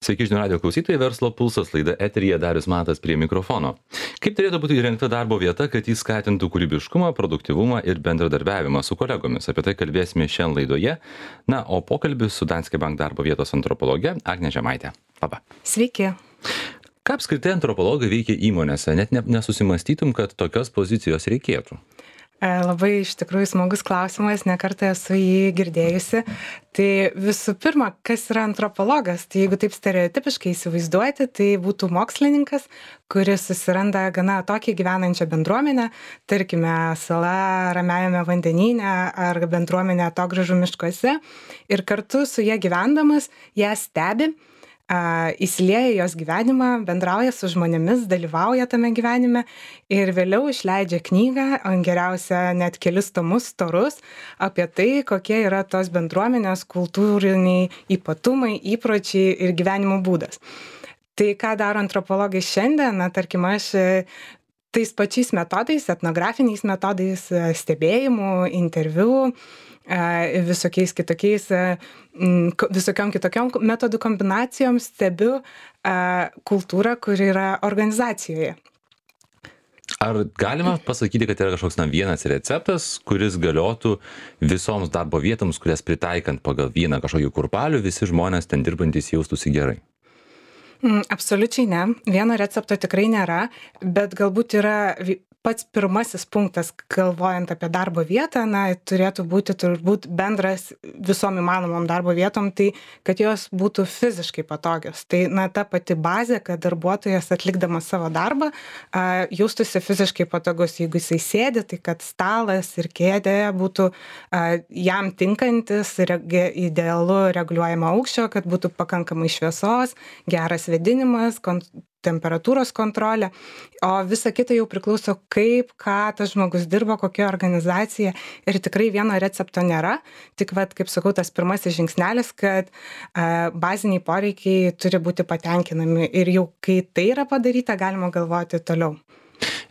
Sveiki žinių radijo klausytojai, verslo pulsas, laida eteryje, Darius Matas prie mikrofono. Kaip turėtų būti įrengta darbo vieta, kad jis skatintų kūrybiškumą, produktyvumą ir bendradarbiavimą su kolegomis? Apie tai kalbėsime šiandien laidoje. Na, o pokalbis su Danske Bank darbo vietos antropologe Agne Žemaitė. Labą. Sveiki. Ką apskritai antropologai veikia įmonėse? Net nesusimastytum, kad tokios pozicijos reikėtų. Labai iš tikrųjų smagus klausimas, nekartą esu jį girdėjusi. Tai visų pirma, kas yra antropologas? Tai jeigu taip stereotipiškai įsivaizduoti, tai būtų mokslininkas, kuris susiranda gana atokiai gyvenančią bendruomenę, tarkime, sala Ramiajame vandenyne ar bendruomenė atogrąžų miškuose, ir kartu su jie gyvendamas ją stebi, įsilieja jos gyvenimą, bendrauja su žmonėmis, dalyvauja tame gyvenime ir vėliau išleidžia knygą, o geriausia net kelis tomus storus apie tai, kokie yra tos bendruomenės kultūriniai ypatumai, įpročiai ir gyvenimo būdas. Tai ką daro antropologai šiandien, tarkim aš tais pačiais metodais, etnografiniais metodais, stebėjimų, interviu, visokiais kitokiais, visokiom kitokiom metodų kombinacijom stebiu kultūrą, kuri yra organizacijoje. Ar galima pasakyti, kad yra kažkoks vienas receptas, kuris galiotų visoms darbo vietoms, kurias pritaikant pagal vieną kažkokį kurpalių, visi žmonės ten dirbantys jaustųsi gerai? Absoliučiai ne. Vieno recepto tikrai nėra, bet galbūt yra pats pirmasis punktas, galvojant apie darbo vietą, turėtų būti turbūt bendras visom įmanomom darbo vietom, tai kad jos būtų fiziškai patogios. Tai ta pati bazė, kad darbuotojas atlikdamas savo darbą jaustųsi fiziškai patogus. Jeigu jisai sėdi, tai kad stalas ir kėdė būtų jam tinkantis, idealu reguliuojama aukščio, kad būtų pakankamai šviesos, geras vėdinimas, temperatūros kontrolė, o visa kita jau priklauso ką tas žmogus dirbo, kokia organizacija, ir tikrai vieno recepto nėra, tik kaip sakau, tas pirmasis žingsnelis, kad baziniai poreikiai turi būti patenkinami ir jau kai tai yra padaryta, galima galvoti toliau.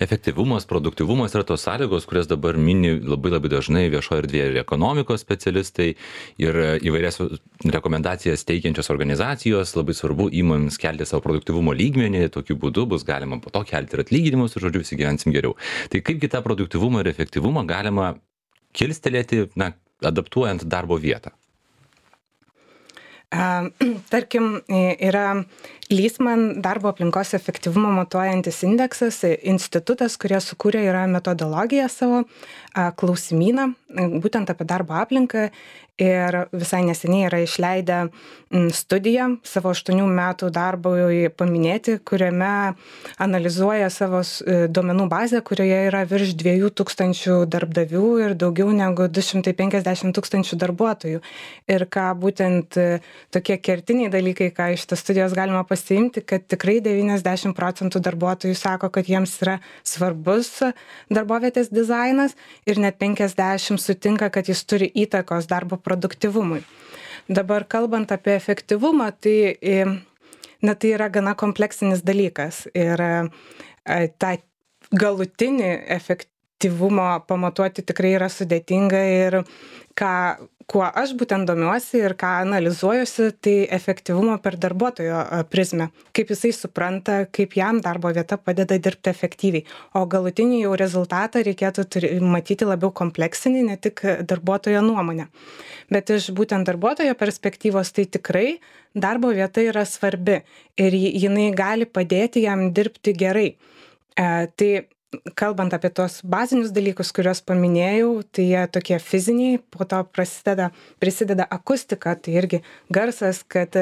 Efektyvumas, produktyvumas yra tos sąlygos, kurias dabar mini labai dažnai viešoje erdvėje ir ekonomikos specialistai, ir įvairias rekomendacijas teikiančios organizacijos. Labai svarbu įmonėms kelti savo produktyvumo lygmenį, tokiu būdu bus galima po to kelti ir atlyginimus, ir žodžiu, visi gyvensim geriau. Tai kaipgi tą produktyvumą ir efektyvumą galima kilstelėti, adaptuojant darbo vietą? Tarkim, yra Lysman darbo aplinkos efektyvumo matuojantis indeksas, institutas, kurie sukūrė yra metodologiją savo, klausimyną, būtent apie darbo aplinką, ir visai neseniai yra išleidę studiją savo 8 metų darbui paminėti, kuriame analizuoja savo duomenų bazę, kurioje yra virš 2000 darbdavių ir daugiau negu 250 000 darbuotojų. Ir ką būtent tokie kertiniai dalykai, ką iš tos studijos galima pasiimti, kad tikrai 90% darbuotojų sako, kad jiems yra svarbus darbovietės dizainas, ir net 50% sutinka, kad jis turi įtakos darbo produktyvumui. Dabar kalbant apie efektyvumą, tai yra gana kompleksinis dalykas, ir tą galutinį efektyvumo pamatuoti tikrai yra sudėtinga, ir kuo aš būtent domiuosi ir ką analizuojuosi, tai efektyvumo per darbuotojo prizmę, kaip jisai supranta, kaip jam darbo vieta padeda dirbti efektyviai. O galutinį jau rezultatą reikėtų matyti labiau kompleksinį, ne tik darbuotojo nuomonę. Bet iš būtent darbuotojo perspektyvos, tai tikrai darbo vieta yra svarbi ir jinai gali padėti jam dirbti gerai. Tai kalbant apie tos bazinius dalykus, kuriuos paminėjau, tai jie tokie fiziniai, po to prisideda akustika, tai irgi garsas, kad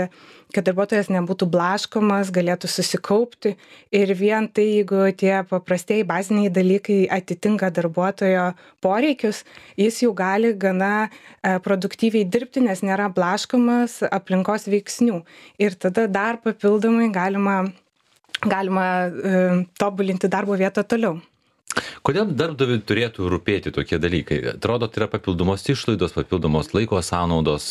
darbuotojas nebūtų blaškomas, galėtų susikaupti, ir vien tai, jeigu tie paprastieji baziniai dalykai atitinka darbuotojo poreikius, jis jau gali gana produktyviai dirbti, nes nėra blaškomas aplinkos veiksnių. Ir tada dar papildomai galima tobulinti darbo vietą toliau. Kodėl darbdaviui turėtų rūpėti tokie dalykai? Atrodo, tai yra papildomos išlaidos, papildomos laiko sąnaudos.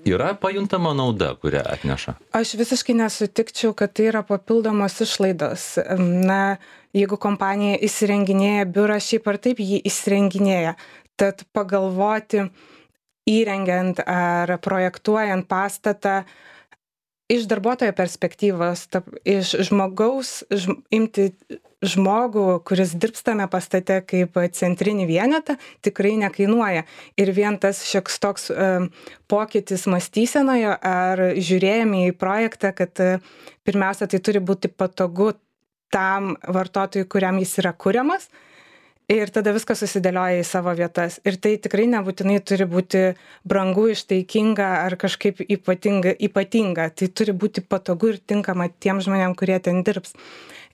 Yra pajuntama nauda, kurią atneša? Aš visiškai nesutikčiau, kad tai yra papildomos išlaidos. Jeigu kompanija įsirenginėja biurą, šiaip ar taip jį įsirenginėja, tad pagalvoti įrengiant ar projektuojant pastatą iš darbuotojo perspektyvos, iš žmogaus, imti žmogų, kuris dirbs tame pastate kaip centrinį vienetą, tikrai nekainuoja. Ir vien tas šioks toks pokytis mąstysenoje ar žiūrėjome į projektą, kad pirmiausia, tai turi būti patogu tam vartotojui, kuriam jis yra kuriamas. Ir tada viskas susidėlioja į savo vietas. Ir tai tikrai nebūtinai turi būti brangu, ištaikinga ar kažkaip ypatinga. Tai turi būti patogu ir tinkama tiem žmonėm, kurie ten dirbs.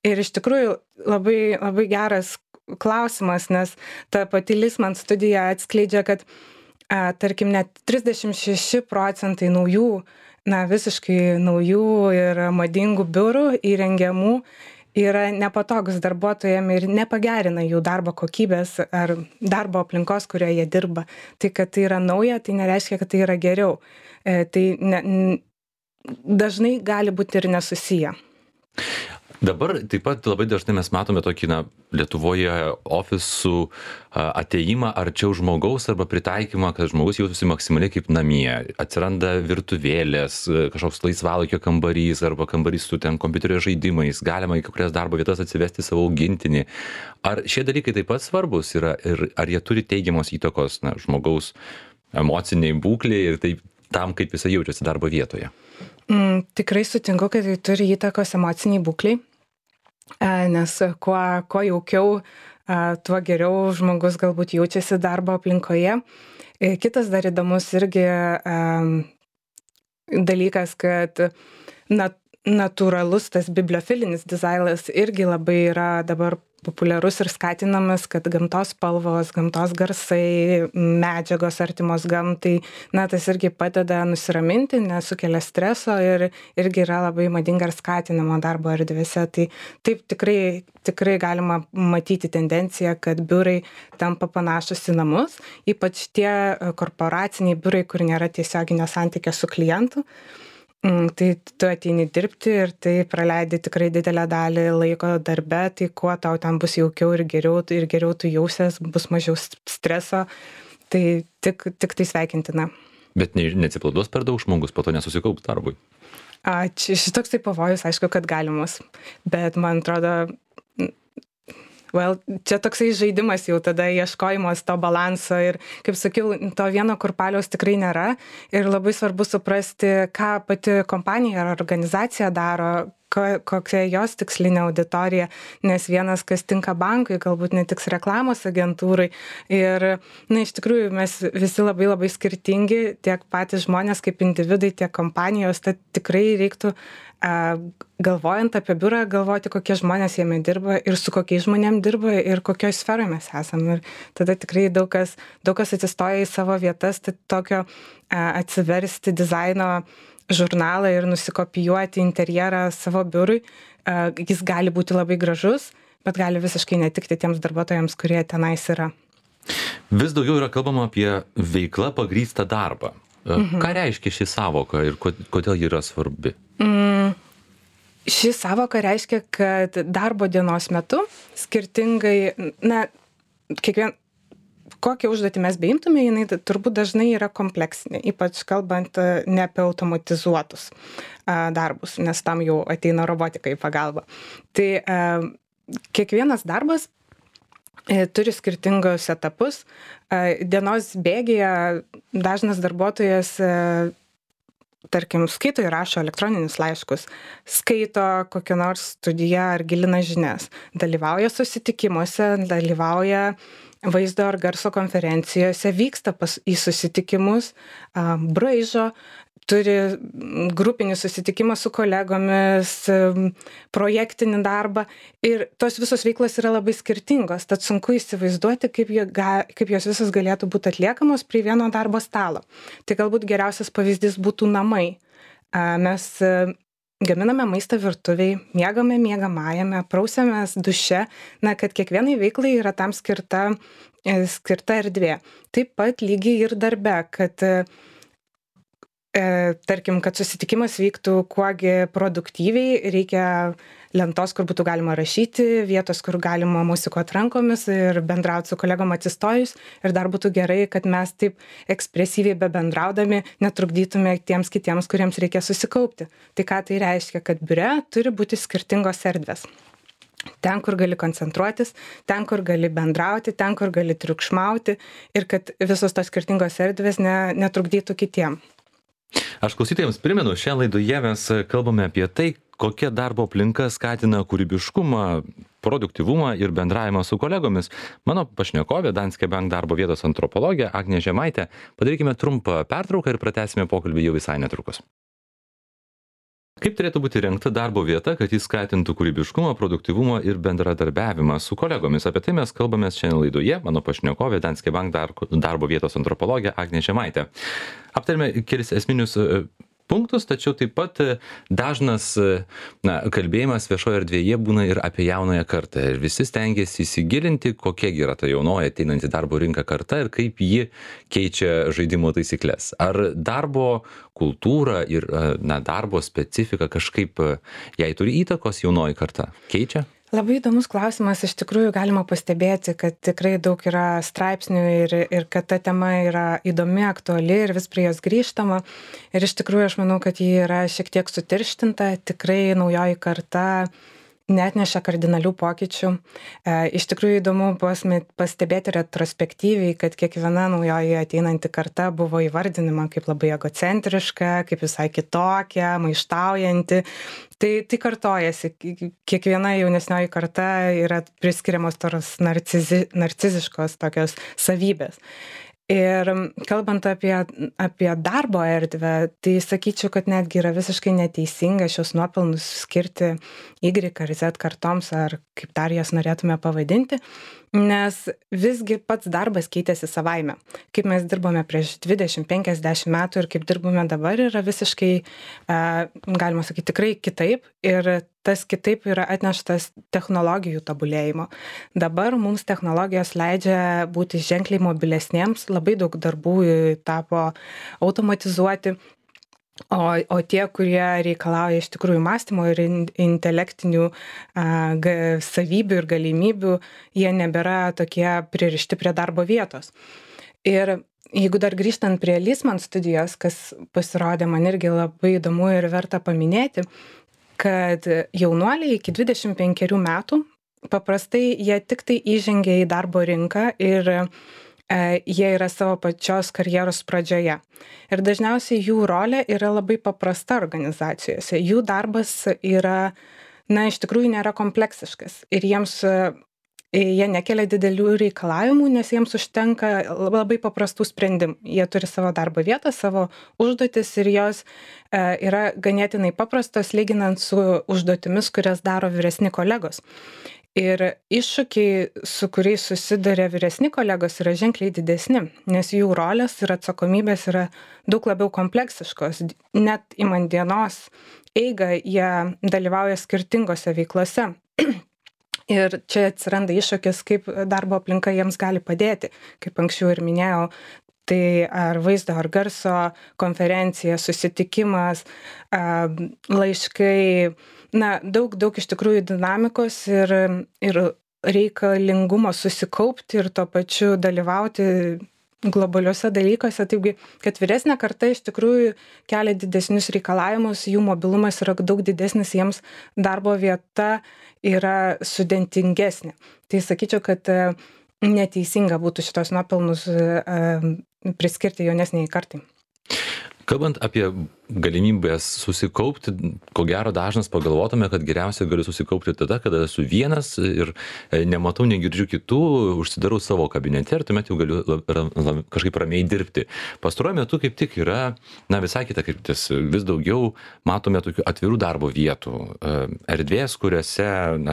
Ir iš tikrųjų labai, labai geras klausimas, nes ta pati Lysman studija atskleidžia, kad tarkim net 36% naujų, visiškai naujų ir madingų biurų įrengiamų yra nepatogus darbuotojam ir nepagerina jų darbo kokybės ar darbo aplinkos, kurioje jie dirba. Tai, kad tai yra nauja, tai nereiškia, kad tai yra geriau. Tai dažnai gali būti ir nesusiję. Dabar taip pat labai dažnai mes matome tokį, Lietuvoje ofisų atėjimą arčiau žmogaus arba pritaikymą, kad žmogus jaustųsi maksimaliai kaip namie. Atsiranda virtuvėlės, kažkoks laisvalaikio kambarys arba kambarys su ten kompiuterio žaidimais, galima į kurias darbo vietas atsivesti savo augintinį. Ar šie dalykai taip pat svarbus yra ir ar jie turi teigiamos įtakos žmogaus emociniai būklei ir taip tam, kaip jisai jaučiasi darbo vietoje? Tikrai sutinku, kad tai turi įtakos emociniai būkliai, nes kuo jaukiau, tuo geriau žmogus galbūt jaučiasi darbo aplinkoje. Kitas dar įdomus irgi dalykas, kad natūralus tas bibliofilinis dizainas irgi labai yra dabar populiarus ir skatinamas, kad gamtos spalvos, gamtos garsai, medžiagos artimos gamtai, tas irgi padeda nusiraminti, nesukelia streso ir irgi yra labai madinga ir skatinama darbo erdvėse. Tai taip tikrai galima matyti tendenciją, kad biurai tampa panašus į namus, ypač tie korporaciniai biurai, kur nėra tiesioginio santykio su klientu. Tai tu ateini dirbti ir tai praleidi tikrai didelę dalį laiko darbe, tai kuo tau ten bus jaukiau ir geriau tu jausies, bus mažiau streso, tai tik tai sveikintina. Bet neatsipalaiduos per daug žmogus, po to nesusikaups darbui? Šitoks tai pavojus, aišku, kad galimas, bet man atrodo, čia toksai žaidimas jau tada ieškojimas to balanso ir, kaip sakiau, to vieno kurpaliaus tikrai nėra ir labai svarbu suprasti, ką pati kompanija ar organizacija daro, kokia jos tikslinė auditorija, nes vienas, kas tinka bankui, galbūt netiks reklamos agentūrai ir, iš tikrųjų, mes visi labai labai skirtingi, tiek patys žmonės kaip individai, tiek kompanijos, tad tikrai reiktų galvojant apie biurą, galvoti, kokie žmonės jame dirba ir su kokiais žmonėm dirba ir kokioje sferoje mes esame. Ir tada tikrai daug kas atsistoja į savo vietas, tai tokio atsiversti dizaino žurnalą ir nusikopijuoti interjerą savo biurui. Jis gali būti labai gražus, bet gali visiškai netikti tiems darbuotojams, kurie tenais yra. Vis daugiau yra kalbama apie veiklą pagrįstą darbą. Ką reiškia ši savoka ir kodėl ji yra svarbi? Ši savoka reiškia, kad darbo dienos metu skirtingai, kokią užduotį mes beimtume, jinai turbūt dažnai yra kompleksinė, ypač kalbant ne apie automatizuotus darbus, nes tam jau ateina robotika į pagalbą. Tai kiekvienas darbas turi skirtingus etapus. Dienos bėgyje dažnas darbuotojas tarkim, skaito ir rašo elektroninius laiškus, skaito kokią nors studiją ar gilina žinias, dalyvauja susitikimuose, dalyvauja vaizdo ar garso konferencijose, vyksta į susitikimus, braižo, turi grupinį susitikimą su kolegomis, projektinį darbą ir tos visos veiklos yra labai skirtingos, tad sunku įsivaizduoti, kaip jos visos galėtų būti atliekamos prie vieno darbo stalo. Tai galbūt geriausias pavyzdys būtų namai. Mes gaminame maistą virtuviai, miegame miegamajame, prausiamės duše, kad kiekvienai veiklai yra tam skirta erdvė. Taip pat lygiai ir darbe, kad tarkim, kad susitikimas vyktų kuogi produktyviai, reikia lentos, kur būtų galima rašyti, vietos, kur galima musikuoti rankomis ir bendrauti su kolegom atsistojus. Ir dar būtų gerai, kad mes taip ekspresyviai bebendraudami netrukdytume tiems kitiems, kuriems reikia susikaupti. Tai ką tai reiškia, kad biure turi būti skirtingos erdvės. Ten, kur gali koncentruotis, ten, kur gali bendrauti, ten, kur gali triukšmauti ir kad visos tos skirtingos erdvės netrukdytų kitiem. Aš klausytojams primenu, šią laidoje mes kalbame apie tai, kokia darbo aplinka skatina kūrybiškumą, produktyvumą ir bendravimą su kolegomis. Mano pašnekovė, Danske Bank darbo vietos antropologė Agnė Žemaitė. Padarykime trumpą pertrauką ir pratęsime pokalbį jau visai netrukus. Kaip turėtų būti rengta darbo vieta, kad jis skatintų kūrybiškumą, produktyvumą ir bendradarbiavimą su kolegomis? Apie tai mes kalbame šiandien laidoje. Mano pašnekovė, Danske Bank darbo vietos antropologė Agnė Žemaitė. Aptarėme kelis esminius punktus, tačiau taip pat dažnas kalbėjimas viešoje erdvėje būna ir apie jaunąją kartą. Ir visi stengiasi įsigilinti, kokia yra ta jaunoji ateinanti darbo rinką karta ir kaip ji keičia žaidimo taisyklės. Ar darbo kultūra ir darbo specifika kažkaip jai turi įtakos jaunoji karta? Keičia? Labai įdomus klausimas. Iš tikrųjų galima pastebėti, kad tikrai daug yra straipsnių ir kad ta tema yra įdomi, aktuali ir vis prie jos grįžtama. Ir iš tikrųjų aš manau, kad ji yra šiek tiek sutirštinta. Tikrai naujoji karta neatneša kardinalių pokyčių. Iš tikrųjų įdomu pastebėti retrospektyviai, kad kiekviena naujoji ateinanti karta buvo įvardinama kaip labai egocentriška, kaip visai kitokia, maištaujanti. Tai kartojasi. Kiekviena jaunesnioji karta yra priskiriamos tos narciziškos tokios savybės. Ir kalbant apie darbo erdvę, tai sakyčiau, kad netgi yra visiškai neteisinga šios nuopelnus skirti Y ar Z kartoms, ar kaip dar jas norėtume pavadinti, nes visgi pats darbas keitėsi savaime. Kaip mes dirbome prieš 20-50 metų ir kaip dirbame dabar yra visiškai, galima sakyti, tikrai kitaip. Ir tas kitaip yra atneštas technologijų tobulėjimo. Dabar mums technologijos leidžia būti ženkliai mobilesniems, labai daug darbų tapo automatizuoti, o tie, kurie reikalauja iš tikrųjų mąstymo ir intelektinių savybių ir galimybių, jie nebėra tokie pririšti prie darbo vietos. Ir jeigu dar grįžtant prie Lysman studijos, kas pasirodė man irgi labai įdomu ir verta paminėti, kad jaunuoliai iki 25 metų paprastai jie tik tai įžengia į darbo rinką ir jie yra savo pačios karjeros pradžioje. Ir dažniausiai jų rolė yra labai paprasta organizacijose. Jų darbas yra, iš tikrųjų nėra kompleksiškas ir jie nekelia didelių reikalavimų, nes jiems užtenka labai paprastų sprendimų. Jie turi savo darbo vietą, savo užduotis ir jos yra ganėtinai paprastos lyginant su užduotimis, kurias daro vyresni kolegos. Ir iššūkiai, su kuriais susiduria vyresni kolegos, yra ženkliai didesni, nes jų rolės ir atsakomybės yra daug labiau kompleksiškos. Net imant dienos eigą, jie dalyvauja skirtingose veiklose. Ir čia atsiranda iššūkis, kaip darbo aplinka jiems gali padėti. Kaip anksčiau ir minėjau, tai ar vaizdo, ar garso konferencija, susitikimas, laiškai, daug iš tikrųjų dinamikos ir reikalingumo susikaupti ir tuo pačiu dalyvauti globaliuose dalykuose. Taigi, kad vyresnė karta iš tikrųjų kelia didesnius reikalavimus, jų mobilumas yra daug didesnis, jiems darbo vieta yra sudėtingesnė. Tai sakyčiau, kad neteisinga būtų šitos nuopelnus priskirti jaunesniai kartai. Kalbant apie galimybės susikaupti, ko gero dažnas pagalvotume, kad geriausiai galiu susikaupti tada, kada esu vienas ir nematau, negirdžiu kitų, užsidarau savo kabinete ir tuomet jau galiu kažkaip ramiai dirbti. Pastaruoju metu kaip tik yra visai kita kryptis. Vis daugiau matome tokių atvirų darbo vietų, erdvės, kuriuose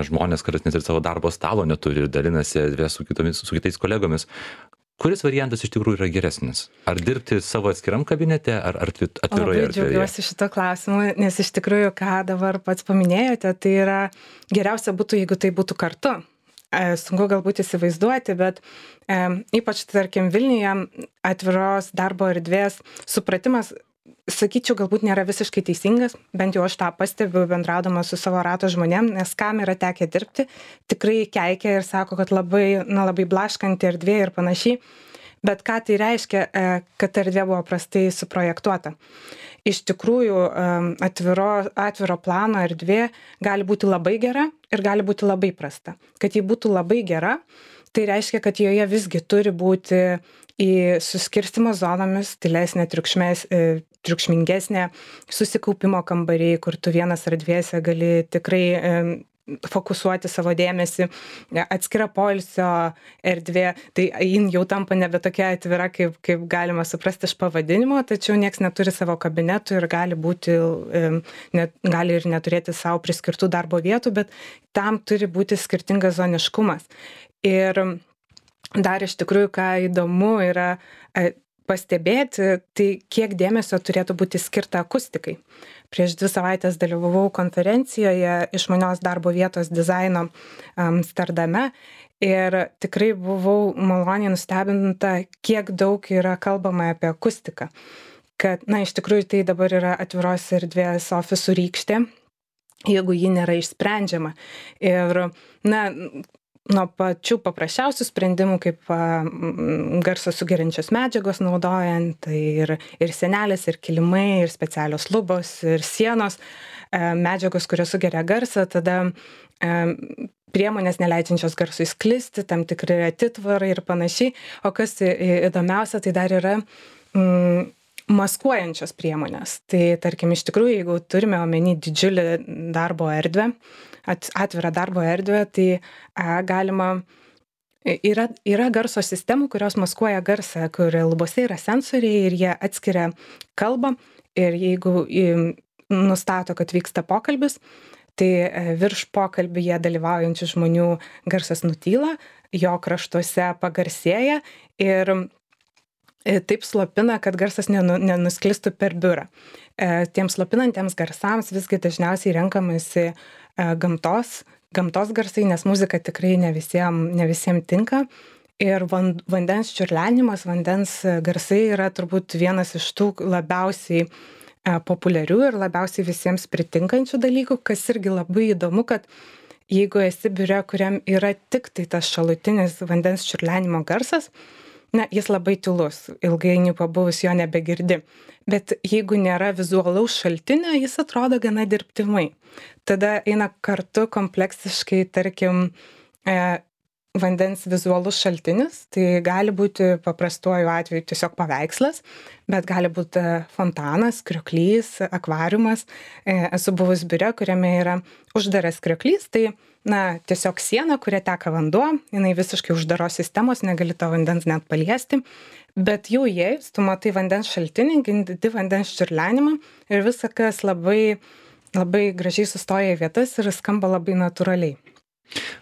žmonės kartais net ir savo darbo stalo neturi ir dalinasi erdvės su kitais kolegomis. Kuris variantas iš tikrųjų yra geresnis? Ar dirbti savo atskiram kabinete, ar atviroje erdvėje? Labai džiaugiuosi šito klausimu, nes iš tikrųjų, ką dabar pats paminėjote, tai yra geriausia būtų, jeigu tai būtų kartu. Sunku galbūt įsivaizduoti, bet ypač, tarkim, Vilniuje atviros darbo erdvės supratimas sakyčiau, galbūt nėra visiškai teisingas, bent jau aš tą pastebiu bendraudama su savo rato žmonėm, nes kam yra tekę dirbti, tikrai keikia ir sako, kad labai blaškanti erdvė ir panašiai. Bet ką tai reiškia, kad erdvė buvo prastai suprojektuota? Iš tikrųjų, atviro plano erdvė gali būti labai gera ir gali būti labai prasta. Kad ji būtų labai gera, tai reiškia, kad joje visgi turi būti į suskirstimo zonomis, tylesnė, triukšmingesnė, susikaupimo kambariai, kur tu vienas erdvėse gali tikrai fokusuoti savo dėmesį, atskira poilsio erdvė, tai jin jau tampa nebe tokia atvira, kaip galima suprasti iš pavadinimo, tačiau nieks neturi savo kabinetų ir gali ir neturėti savo priskirtų darbo vietų, bet tam turi būti skirtingas zoniškumas. Ir dar iš tikrųjų, ką įdomu yra pastebėti, tai kiek dėmesio turėtų būti skirta akustikai. Prieš 2 savaitės dalyvavau konferencijoje išmanios darbo vietos dizaino Amsterdame ir tikrai buvau maloniai nustebinta, kiek daug yra kalbama apie akustiką. Kad, iš tikrųjų, tai dabar yra atviros erdvės ofisų rykštė, jeigu ji nėra išsprendžiama. Ir, nuo pačių paprasčiausių sprendimų, kaip garso sugeriančios medžiagos naudojant, tai ir sienelės, ir kilimai, ir specialios lubos, ir sienos, medžiagos, kurios sugeria garsą, tada priemonės neleidžiančios garsui sklisti, tam tikri atitvarai ir panašiai. O kas įdomiausia, tai dar yra maskuojančios priemonės. Tai tarkim, iš tikrųjų, jeigu turime omeny didžiulį darbo erdvę, atvirą darbo erdvę, tai yra garso sistemų, kurios maskuoja garsą, kur lubose yra sensoriai ir jie atskiria kalbą ir jeigu nustato, kad vyksta pokalbis, tai virš pokalbyje dalyvaujančių žmonių garsas nutyla, jo kraštuose pagarsėja ir taip slopina, kad garsas nenusklistų per biurą. Tiems slopinantiems garsams visgi dažniausiai renkamasi gamtos garsai, nes muzika tikrai ne visiems tinka. Ir vandens čiurlenimas, vandens garsai yra turbūt vienas iš tų labiausiai populiarių ir labiausiai visiems pritinkančių dalykų, kas irgi labai įdomu, kad jeigu esi biure, kuriam yra tik tai tas šalutinis vandens čiurlenimo garsas, jis labai tylus, ilgainiui pabuvus jo nebegirdi. Bet jeigu nėra vizualaus šaltinio, jis atrodo gana dirbtimai. Tada eina kartu kompleksiškai, tarkim, vandens vizualus šaltinis, tai gali būti paprastuoju atveju tiesiog paveikslas, bet gali būti fontanas, krioklys, akvariumas. Esu buvus biure, kuriame yra uždaras krioklys, tai tiesiog siena, kuria teka vanduo, jinai visiškai uždaros sistemos, negali to vandens net paliesti, bet jau įėjus, tu matai vandens šaltinį, girdi vandens čiurlenimą ir viskas labai, labai gražiai sustoja į vietas ir skamba labai natūraliai.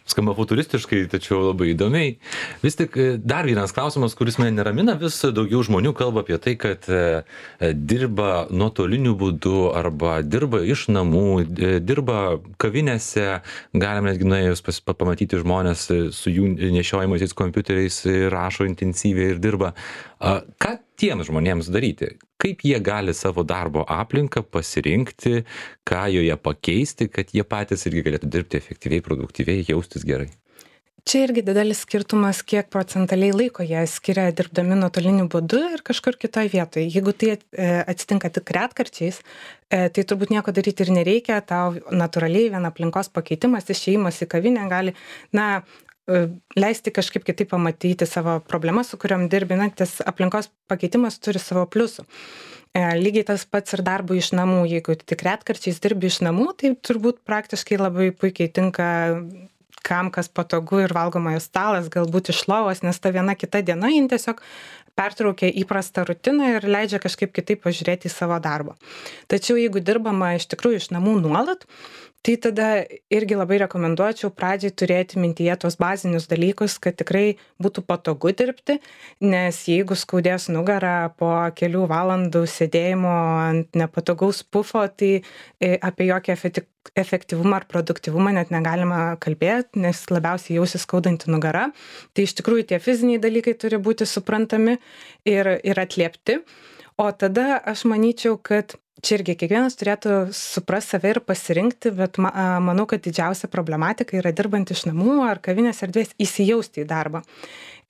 Skamba futuristiškai, tačiau labai įdomiai. Vis tik dar vienas klausimas, kuris mane neramina, vis daugiau žmonių kalba apie tai, kad dirba nuotoliniu būdu arba dirba iš namų, dirba kavinėse, galime netgi nuėjus pamatyti žmonės su jų nešiojamaisiais kompiuteriais, rašo intensyviai ir dirba. Ką tiems žmonėms daryti? Kaip jie gali savo darbo aplinką pasirinkti, ką joje pakeisti, kad jie patys irgi galėtų dirbti efektyviai, produktyviai, jaustis gerai? Čia irgi didelis skirtumas, kiek procentaliai laiko jie skiria dirbdami nuotoliniu būdu ir kažkur kitoje vietoje. Jeigu tai atsitinka tik retkarčiais, tai turbūt nieko daryti ir nereikia, tau natūraliai vien aplinkos pakeitimas, išėjimas į kavinę gali, leisti kažkaip kitaip pamatyti savo problemas, su kuriam dirbi, tas aplinkos pakeitimas turi savo pliusų. Lygiai tas pats ir darbų iš namų, jeigu tik retkarčiais dirbi iš namų, tai turbūt praktiškai labai puikiai tinka kam kas patogu ir valgomojo stalas, galbūt iš lovos, nes ta viena kita diena jin tiesiog pertraukia įprastą rutiną ir leidžia kažkaip kitaip pažiūrėti į savo darbą. Tačiau jeigu dirbama iš tikrųjų iš namų nuolat, tai tada irgi labai rekomenduočiau pradžiai turėti mintyje tos bazinius dalykus, kad tikrai būtų patogu dirbti, nes jeigu skaudės nugarą po kelių valandų sėdėjimo ant nepatogaus pufo, tai apie jokį efektyvumą ar produktyvumą net negalima kalbėti, nes labiausiai jausis skaudanti nugara. Tai iš tikrųjų tie fiziniai dalykai turi būti suprantami ir atliepti. O tada aš manyčiau, kad čia irgi kiekvienas turėtų suprast save ir pasirinkti, bet manau, kad didžiausia problematika yra dirbant iš namų ar kavinės erdvės įsijausti į darbą.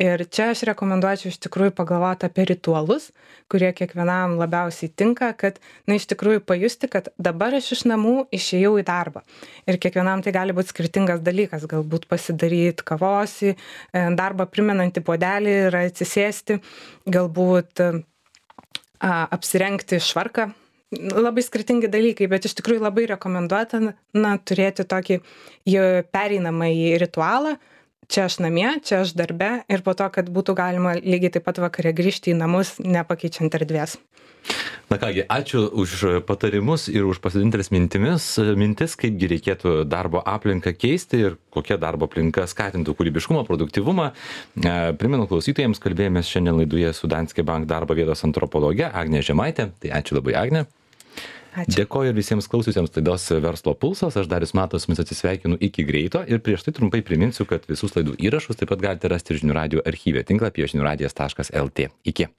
Ir čia aš rekomenduočiau iš tikrųjų pagalvoti apie ritualus, kurie kiekvienam labiausiai tinka, kad, iš tikrųjų pajusti, kad dabar aš iš namų išėjau į darbą. Ir kiekvienam tai gali būti skirtingas dalykas, galbūt pasidaryti kavos, darbą primenantį puodelį ir atsisėsti, galbūt apsirengti švarką. Labai skirtingi dalykai, bet iš tikrųjų labai rekomenduotina turėti tokį pereinamąjį ritualą. Čia aš namie, čia aš darbe ir po to, kad būtų galima lygiai taip pat vakare grįžti į namus, nepakeičiant erdvės. Na kągi, ačiū už patarimus ir už pasidalintas mintis, kaipgi reikėtų darbo aplinką keisti ir kokia darbo aplinka skatintų kūrybiškumą, produktyvumą. Primenu klausytojams, kalbėjomės šiandien laidoje su Danske Bank darbo vietos antropologe Agnė Žemaitė. Tai ačiū labai, Agnė. Ačiū. Dėkoju ir visiems klausiusiems laidos Verslo pulsas. Aš Darius Matas, jumis atsisveikinu iki greito ir prieš tai trumpai priminsiu, kad visus laidų įrašus taip pat galite rasti žinių radijo archyve tinklapyje žiniųradijas.lt. Iki.